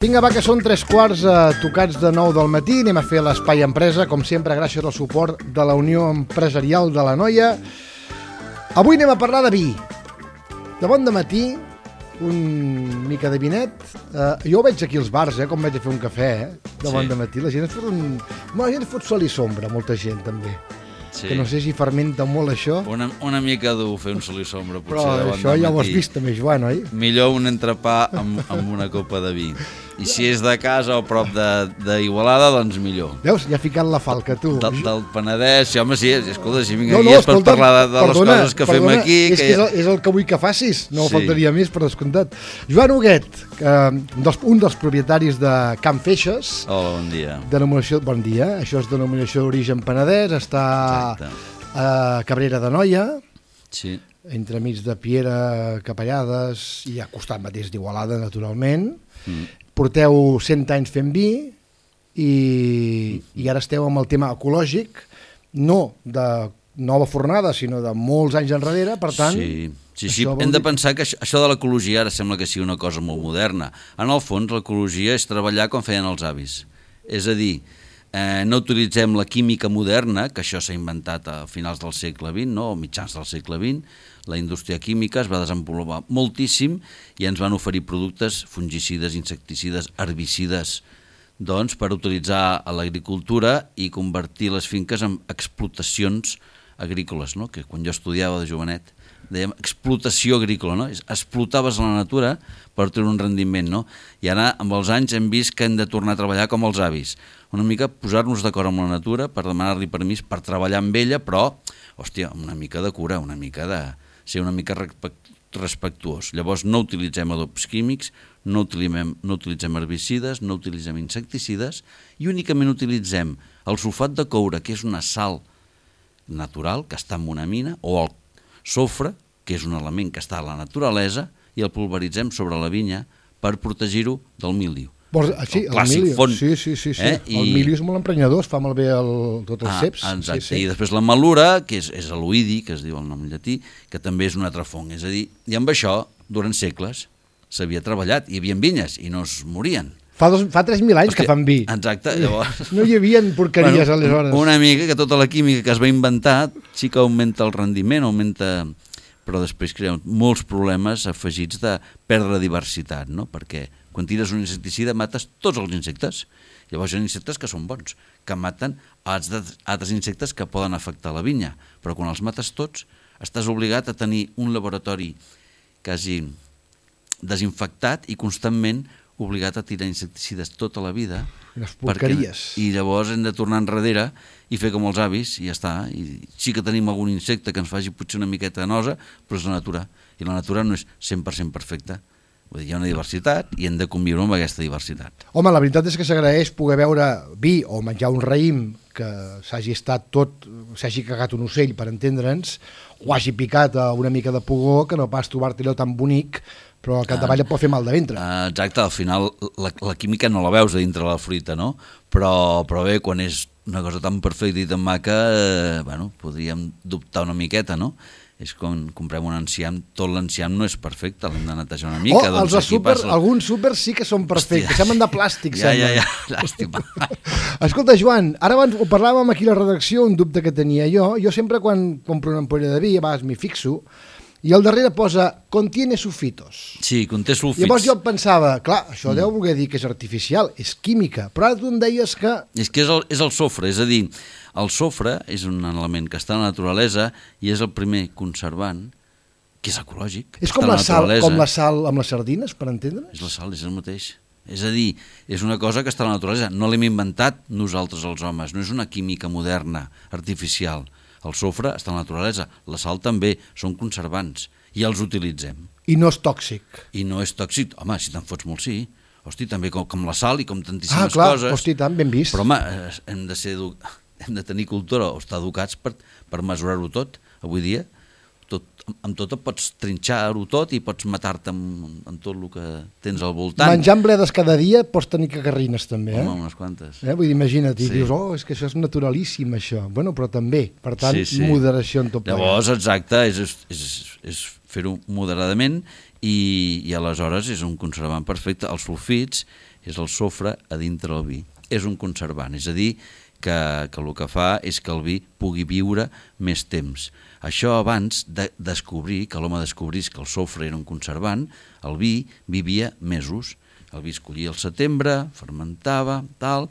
Vinga, va, que són 3 quarts tocats de 9 del matí. Anem a fer l'Espai Empresa, com sempre, gràcies al suport de la Unió Empresarial de l'Anoia. Avui anem a parlar de vi. De bon dematí, un mica de vinet. Jo ho veig aquí als bars, com vaig a fer un cafè, de bon dematí. La gent es fot la gent fot sol i sombra, molta gent, també. Sí. Que no sé si fermenta molt això. Una mica dur fer un sol i sombra, potser. Però això ja ho has vist també, Joan, oi? Millor un entrepà amb una copa de vi. I si és de casa o prop d'Igualada, doncs millor. Veus? Ja ha ficat la falca, tu. Del Penedès, sí, home, sí, escolta, si vinc aquí és per parlar de les coses que fem aquí. És el que vull que facis, no faltaria més, per descomptat. Joan Huguet, un dels propietaris de Can Feixes. Hola, bon dia. Bon dia, això és denominació d'origen penedès, està a Cabrera d'Anoia, entremig de Piera, Capellades i al costat mateix d'Igualada, naturalment. Porteu 100 anys fent vi i ara esteu amb el tema ecològic, no de nova fornada, sinó de molts anys enrere, per tant... Sí, hem de pensar que això de l'ecologia ara sembla que sigui una cosa molt moderna. En el fons, l'ecologia és treballar com feien els avis. És a dir, no utilitzem la química moderna, que això s'ha inventat a finals del segle XX, o mitjans del segle XX. La indústria química es va desenvolupar moltíssim i ens van oferir productes fungicides, insecticides, herbicides, doncs, per utilitzar a l'agricultura i convertir les finques en explotacions agrícoles, no? Que quan jo estudiava de jovenet dèiem explotació agrícola, no? Explotaves la natura per tenir un rendiment, no? I ara, amb els anys, hem vist que hem de tornar a treballar com els avis. Una mica posar-nos d'acord amb la natura per demanar-li permís per treballar amb ella, però, hòstia, una mica de cura, una mica de ser una mica respectuós. Llavors no utilitzem adobs químics, no utilitzem herbicides, no utilitzem insecticides i únicament utilitzem el sulfat de coure, que és una sal natural que està en una mina, o el sofre, que és un element que està a la naturalesa, i el pulveritzem sobre la vinya per protegir-ho del míldiu. Sí, el clàssic font. Sí. El míldiu és molt emprenyador, es fa malbé tots els ceps. Exacte, i després la malura, que és l'oïdi, que es diu el nom llatí, que també és un altre fong. És a dir, i amb això, durant segles, s'havia treballat, hi havia vinyes i no es morien. Fa 3.000 anys que fan vi. Exacte, llavors... No hi havia porqueries aleshores. Una mica que tota la química que es va inventar sí que augmenta el rendiment, però després crea molts problemes afegits de perdre diversitat, no? Perquè quan tires un insecticida mates tots els insectes. Llavors hi ha insectes que són bons, que maten altres insectes que poden afectar la vinya. Però quan els mates tots, estàs obligat a tenir un laboratori quasi desinfectat i constantment obligat a tirar insecticides tota la vida. Les porqueries. I llavors hem de tornar enrere i fer com els avis i ja està. I sí que tenim algun insecte que ens faci potser una miqueta de nosa, però és la natura. I la natura no és 100% perfecta. Vull dir, hi ha una diversitat i hem de conviure amb aquesta diversitat. Home, la veritat és que s'agraeix poder veure vi o menjar un raïm que s'hagi cagat un ocell, per entendre'ns, o hagi picat una mica de pugó, que no pas trobar-te allò tan bonic, però al capdavall et pot fer mal de ventre. Exacte, al final la química no la veus a dintre la fruita, no? Però bé, quan és una cosa tan perfecta i tan maca, podríem dubtar una miqueta, no? És com comprem un enciam, tot l'enciam no és perfecte, l'hem de netejar una mica. Alguns súpers sí que són perfectes, semblen de plàstic. Ja, llàstima. Escolta, Joan, ara abans ho parlàvem aquí a la redacció, un dubte que tenia jo sempre quan compro una ampolla de vi, a vegades m'hi fixo, i al darrere posa contiene sulfitos. Sí, conté sulfits. Llavors jo pensava, clar, això deu voler dir que és artificial, és química, però ara tu em deies que... És que és el sofre, és a dir, el sofre és un element que està a la naturalesa i és el primer conservant, que és ecològic. És com la sal amb les sardines, per entendre? És la sal, és el mateix. És a dir, és una cosa que està a la naturalesa. No l'hem inventat nosaltres els homes, no és una química moderna, artificial. El sofre està a la naturalesa, la sal també, són conservants i els utilitzem. I no és tòxic. I no és tòxic, home, si te'n fots molt sí. Hosti, també com la sal i com tantíssimes coses. Hosti, tant, ben vist. Però home, hem de tenir cultura o estar educats per mesurar-ho tot. Avui dia, amb tot et pots trinxar-ho tot i pots matar-te amb tot el que tens al voltant. Menjant bledes cada dia pots tenir cagarrines també, Home, unes quantes. Vull dir, imagina't, i dius, és que això és naturalíssim, això. Bueno, però també, per tant, moderació en tot plegat. Llavors, exacte, és fer-ho moderadament i aleshores és un conservant perfecte. Els sulfits és el sofre a dintre del vi. És un conservant, és a dir, que el que fa és que el vi pugui viure més temps. Això abans de descobrir, que l'home descobrís que el sofre era un conservant, el vi vivia mesos. El vi es collia al setembre, fermentava, tal,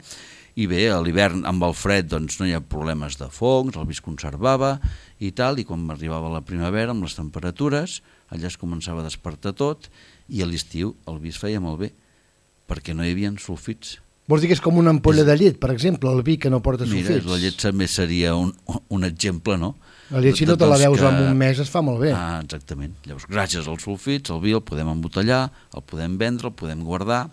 i bé, a l'hivern amb el fred doncs no hi ha problemes de fongs, el vi es conservava i tal, i quan arribava la primavera amb les temperatures, allà es començava a despertar tot, i a l'estiu el vi es feia molt bé, perquè no hi havia sulfits. Vols dir que és com una ampolla de llet, per exemple, el vi que no porta sulfits? Mira, la llet també seria un exemple, no? La llet, si no te la veus en un mes, es fa molt bé. Ah, exactament. Llavors, gràcies als sulfits, el vi el podem embotellar, el podem vendre, el podem guardar,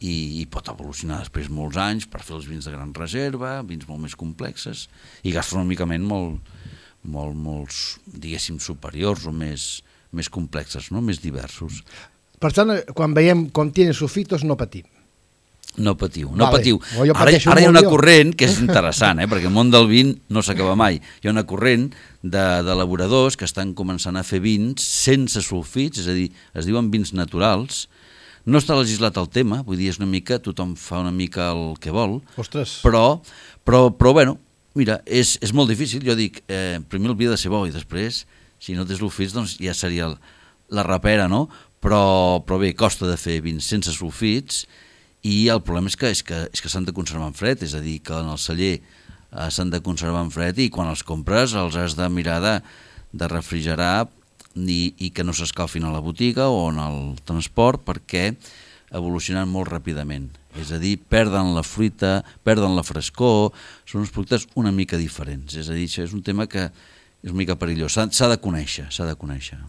i pot evolucionar després molts anys per fer els vins de gran reserva, vins molt més complexes, i gastronòmicament molts, diguéssim, superiors o més complexes, no? Més diversos. Per tant, quan veiem com tiene sulfitos, no patim. No patiu. Ara hi ha una corrent que és interessant, perquè el món del vin no s'acaba mai. Hi ha una corrent d'elaboradors que estan començant a fer vins sense sulfits, és a dir, es diuen vins naturals. No està legislat el tema, vull dir, és una mica, tothom fa una mica el que vol. Ostres. Però bueno, mira, és molt difícil. Jo dic, primer el vi ha de ser bo i després, si no té sulfits, doncs ja seria la rapera, no? Però bé, costa de fer vins sense sulfits. I el problema és que s'han de conservar en fred, és a dir, que en el celler s'han de conservar en fred i quan els compres els has de mirar de refrigerar i que no s'escalfin a la botiga o en el transport perquè evolucionen molt ràpidament. És a dir, perden la fruita, perden la frescor, són uns productes una mica diferents. És a dir, això és un tema que és una mica perillós, s'ha de conèixer.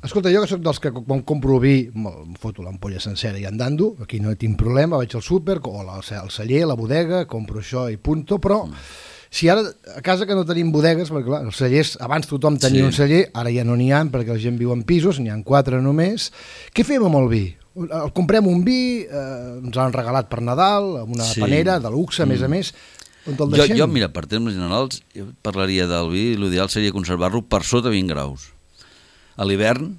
Escolta, jo que soc dels que quan compro vi, em foto l'ampolla sencera i andando, aquí no tinc problema, vaig al súper, o al celler, a la bodega, compro això i punto, però si ara a casa que no tenim bodegues, perquè clar, els cellers, abans tothom tenia un celler, ara ja no n'hi ha, perquè la gent viu en pisos, n'hi ha 4 només, què fem amb el vi? Comprem un vi, ens l'han regalat per Nadal, amb una panera de luxe, a més, on el deixem? Jo, mira, per termes generals, jo parlaria del vi, l'ideal seria conservar-lo per sota 20 graus. A l'hivern...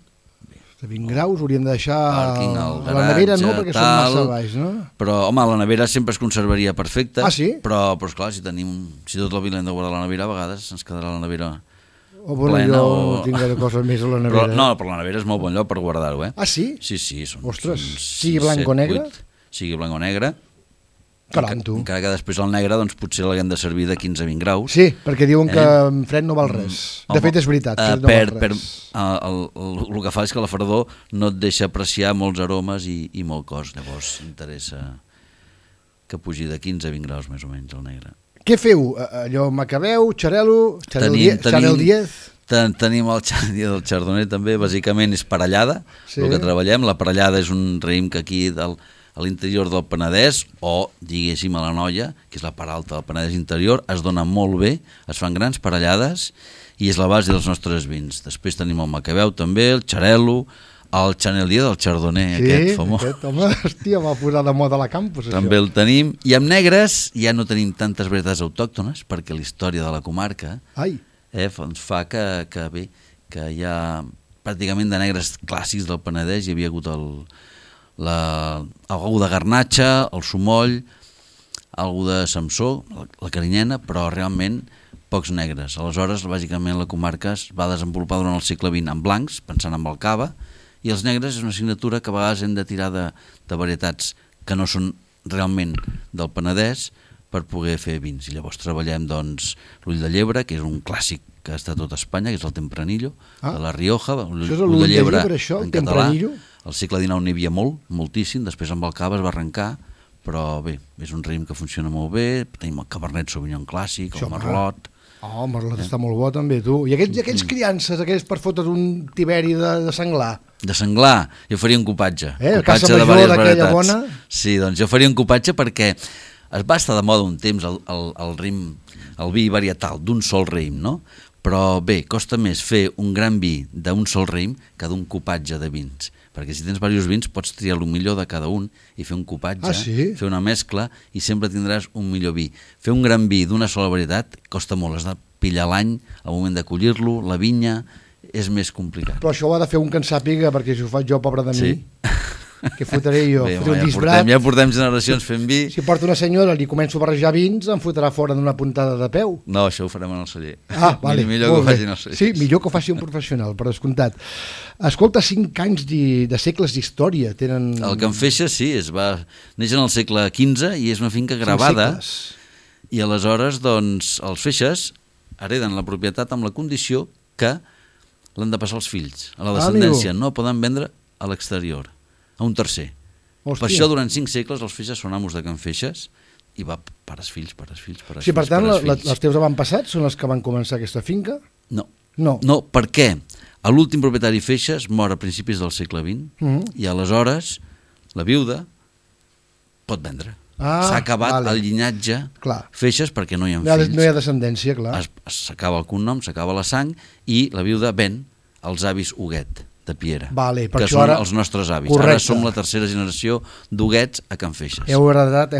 De 20 graus hauríem de deixar a la nevera, no? Perquè són massa baix, no? Però, home, la nevera sempre es conservaria perfecta. Ah, sí? Però esclar, si tot el vi l'hem de guardar a la nevera, a vegades ens quedarà la nevera plena. Jo no tinc gaire cosa més a la nevera. Però la nevera és molt bon lloc per guardar-ho, Ah, sí? Sí. Ostres, sigui blanc o negre? Sigui blanc o negre. Caram, tu. Encara que després el negre doncs, potser l'haguem de servir de 15 a 20 graus. Sí, perquè diuen que en fred no val res. De fet, és veritat, no val res. El que fa és que la fredor no et deixa apreciar molts aromes i molt cos. Llavors interessa que pugi de 15 a 20 graus més o menys el negre. Què feu? Allò macabeu, xarel·lo, Chanel 10? Tenim el dia del Chardonnay també, bàsicament és parellada, el que treballem. La parellada és un raïm que aquí a l'interior del Penedès, o diguéssim a l'Anoia, que és la part alta del Penedès interior, es dona molt bé, es fan grans parellades i és la base dels nostres vins. Després tenim el macabeu també, el xarel·lo, el Chanel 10 del Chardonnay, aquest famós. Sí, home, hòstia, va posar de moda a la campus, això. També el tenim. I amb negres ja no tenim tantes varietats autòctones, perquè la història de la comarca ens fa que hi ha pràcticament de negres clàssics del Penedès. Hi havia hagut algú de Garnatxa, el Sumoll, algú de Samsó, la Carinyena, però realment pocs negres. Aleshores, bàsicament, la comarca es va desenvolupar durant el segle XX en blancs, pensant en el cava, i els negres és una assignatura que a vegades hem de tirar de varietats que no són realment del Penedès per poder fer vins. I llavors treballem doncs, l'ull de llebre, que és un clàssic que està a tot Espanya, que és el Tempranillo, de la Rioja, l'ull de llebre en català. Al segle XIX n'hi havia moltíssim, després amb el cava es va arrencar, però bé, és un raïm que funciona molt bé, tenim el Cabernet Sauvignon clàssic, el Merlot. El Merlot està molt bo també, tu. I aquells criances, aquells per fotre's un tiberi de senglar? De senglar, jo faria un cupatge. Casa major d'aquella bona? Sí, doncs jo faria un cupatge perquè es va estar de moda un temps el vi varietal d'un sol raïm, no? Però bé, costa més fer un gran vi d'un sol raïm que d'un cupatge de vins. Perquè si tens diversos vins pots triar el millor de cada un i fer un cupatge, fer una mescla i sempre tindràs un millor vi. Fer un gran vi d'una sola varietat costa molt, has de pillar l'any al moment de collir-lo, la vinya, és més complicat. Però això ho ha de fer un que en sàpiga, perquè si ho faig jo, pobre de mi... Què fotré jo? Bé, Fotré un disbrat. ja portem generacions fent vi. Si porto una senyora i li començo a barrejar vins, em fotrà fora d'una puntada de peu. No, això ho farem en el celler. Ah, vale. Millor que ho facin els cellers. Sí, millor que ho faci un professional, per descomptat. Escolta, 5 anys de segles d'història tenen... El Can Feixes, sí, neix en el segle XV i és una finca gravada. I aleshores, doncs, els Feixes hereden la propietat amb la condició que l'han de passar als fills, a la descendència. No poden vendre a l'exterior, a un tercer. Hòstia. Per això, durant 5 segles, els Feixes són amos de Can Feixes i va pares fills. Sí, per tant, els teus avantpassats són els que van començar aquesta finca? No, per què? L'últim propietari Feixes mor a principis del segle XX i aleshores la viuda pot vendre. S'ha acabat el llinatge Feixes perquè no hi ha fills. No hi ha descendència, clar. S'acaba el cognom, s'acaba la sang i la viuda ven als avis Huguet de Piera, que són els nostres avis. Ara som la tercera generació d'Huguets a Can Feixes. Heu heredat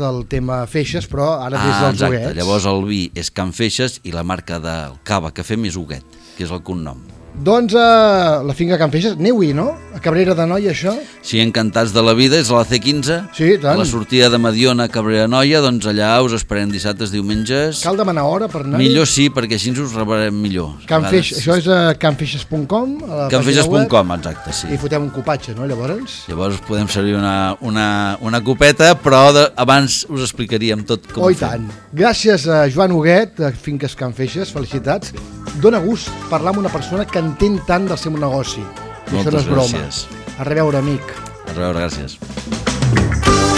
el tema Feixes, però ara des dels Huguets. Exacte, llavors el vi és Can Feixes i la marca del cava que fem és Huguet, que és el cognom. Doncs la finca Can Feixes, aneu-hi, no? A Cabrera d'Anoia, això? Sí, encantats de la vida, és a la C15. Sí, tant. A la sortida de Mediona a Cabrera d'Anoia, doncs allà us esperem dissabtes, diumenges. Cal demanar hora per anar-hi? Millor sí, perquè així us rebrem millor. Això és a canfeixes.com? Canfeixes.com, exacte, sí. I fotem un copatge, no, llavors? Llavors podem servir una copeta, però abans us explicaríem tot com ho fem. Tant. Gràcies a Joan Huguet, de Finques Can Feixes, felicitats. Dóna gust parlar amb una persona que entén tant del seu negoci. Moltes gràcies. A reveure, amic. A reveure, gràcies.